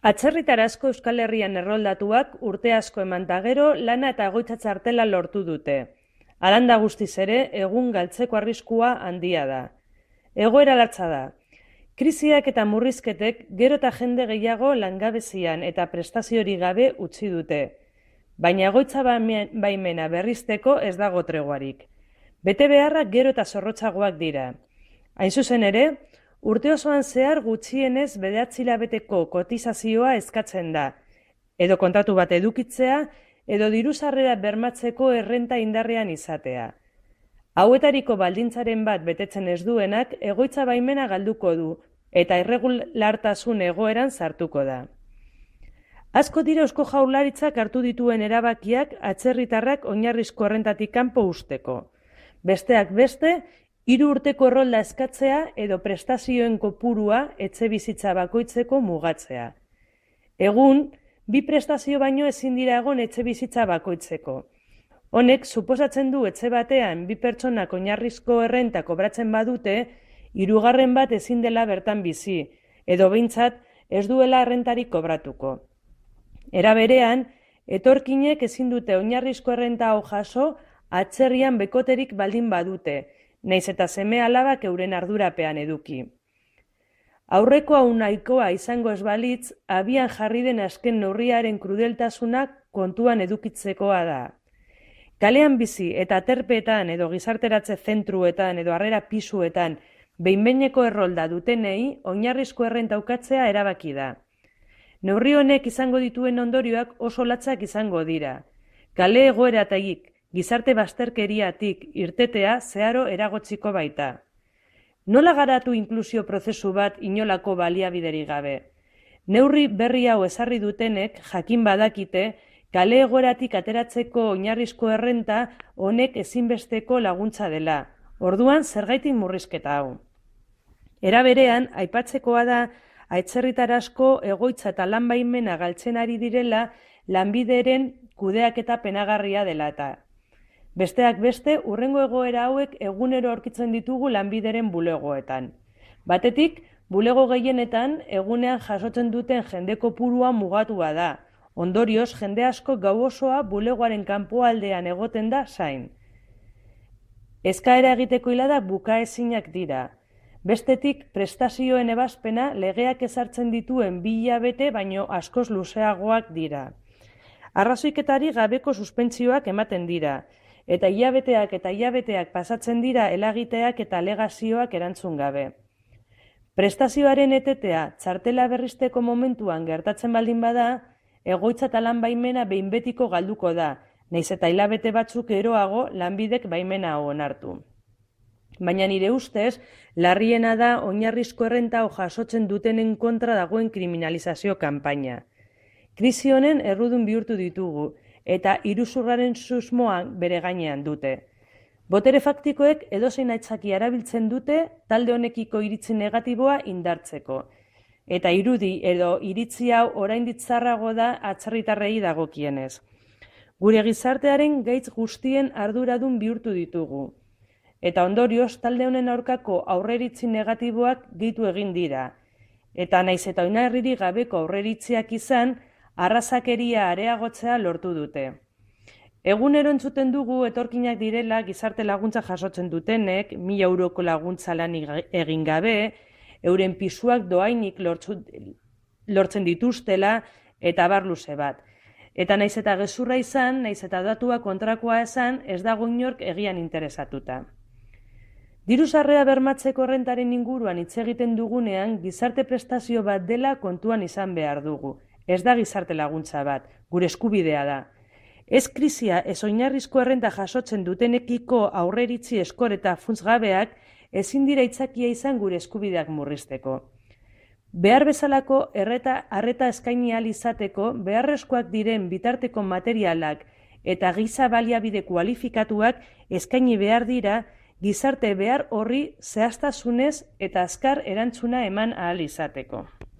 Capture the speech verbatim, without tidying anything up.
Atzerritar asko Euskal Herrian erroldatuak urte asko eman ta gero lana eta egoitza txartela lortu dute. Halanda guztiz ere, egun galtzeko arriskua handia da. Egoera latza da. Krisiak eta murrizketek gero eta jende gehiago langabezian eta prestaziorik gabe utzi dute. Baina egoitza baimena berrizteko ez dago treguarik. Bete beharrak gero eta zorrotzagoak dira. Hain zuzen ere, urte osoan zehar gutxienez bederatzi hilabeteko kotizazioa eskatzen da, edo kontratu bat edukitzea, edo diru-sarrera bermatzeko errenta indarrean izatea. Hauetariko baldintzaren bat betetzen ez duenak egoitza baimena galduko du, eta irregulartasun egoeran sartuko da. Asko dira Eusko Jaurlaritzak hartu dituen erabakiak atzerritarrak oinarrizko errentatik kanpo usteko. Besteak beste, hiru urteko errolda eskatzea edo prestazioen kopurua etxebizitza bakoitzeko mugatzea. Egun, bi prestazio baino ezin dira egon etxebizitza bakoitzeko. Honek, suposatzen du etxe batean bi pertsonak oinarrizko errenta kobratzen badute, hirugarren bat ezin dela bertan bizi, edo behintzat ez duela errentarik kobratuko. Era berean, etorkinek ezin dute oinarrizko errenta hau jaso atzerrian bekoterik baldin badute, nahiz eta seme alabak euren ardurapean eduki. Aurreko hau nahikoa izango ez balitz, abian jarri den azken neurriaren krudeltasunak kontuan edukitzekoa da. Kalean bizi eta aterpeetan edo gizarteratze zentruetan edo harrera pisuetan behin-behineko errolda dutenei oinarrizko errenta ukatzea erabaki da. Neurri honek izango dituen ondorioak oso latzak izango dira. Kale egoeratik, gizarte bazterkeriatik irtetea zeharo eragotziko baita. Nola garatu inklusio prozesu bat inolako baliabiderik gabe? Neurri berri hau ezarri dutenek jakin badakite, kale egoeratik ateratzeko oinarrizko errenta honek ezinbesteko laguntza dela. Orduan zergaitik murrizketa hau. Era berean, aipatzekoa da, atzerritar asko egoitza eta lan baimena galtzen ari direla lanbideren kudeaketa penagarria dela eta. Besteak beste, hurrengo egoera hauek egunero aurkitzen ditugu lanbideren bulegoetan. Batetik, bulego gehienetan egunean jasotzen duten jende kopurua mugatua da. Ondorioz, jende asko gau osoa bulegoaren kanpoaldean egoten da zain. Eskaera egiteko hiladak bukaezinak dira. Bestetik, prestazioen ebazpena legeak ezartzen dituen bi hilabete baino askoz luzeagoak dira. Arrazoiketari gabeko suspentsioak ematen dira, eta hilabeteak eta hilabeteak pasatzen dira helagiteak eta alegazioak erantzun gabe. Prestazioaren etetea txartela berrizteko momentuan gertatzen baldin bada, egoitza eta lan baimena behin betiko galduko da, nahiz eta hilabete batzuk eroago lanbidek baimena onartu. Baina nire ustez, larriena da oinarrizko errenta hau jasotzen dutenen kontra dagoen kriminalizazio kanpaina. Krisi honen errudun bihurtu ditugu, eta iruzurraren susmoak bere gainean dute. Botere faktikoek edozein aitzaki erabiltzen dute talde honekiko iritzi negatiboa indartzeko. Eta irudi edo iritzi hau oraindik txarrago da atzerritarrei dagokienez. Gure gizartearen gaitz guztien arduradun bihurtu ditugu. Eta ondorioz talde honen aurkako aurreritzi negatiboak gehitu egin dira. Eta naiz eta oinarririk gabeko aurreritziak izan, arrazakeria areagotzea lortu dute. Egunero entzuten dugu etorkinak direla gizarte laguntza jasotzen dutenek, mila euroko laguntza lanik egin gabe, euren pisuak doainik lortzen dituztela eta abar luze bat. Eta naiz eta gezurra izan, naiz eta datua kontrakoa esan, ez dago inork egian interesatuta. Diru-sarrera bermatzeko errentaren inguruan hitz egiten dugunean, gizarte prestazio bat dela kontuan izan behar dugu. Ez da gizarte laguntza bat, gure eskubidea da. Ez krisia ez oinarrizko errenta jasotzen dutenekiko aurreritzi eskor eta funtsgabeak ezin dira aitzakia izan gure eskubideak murrizteko. Behar bezalako erreta arreta eskaini ahal izateko beharrezkoak diren bitarteko materialak eta giza baliabide kualifikatuak eskaini behar dira gizarte behar horri zehaztasunez eta azkar erantzuna eman ahal izateko.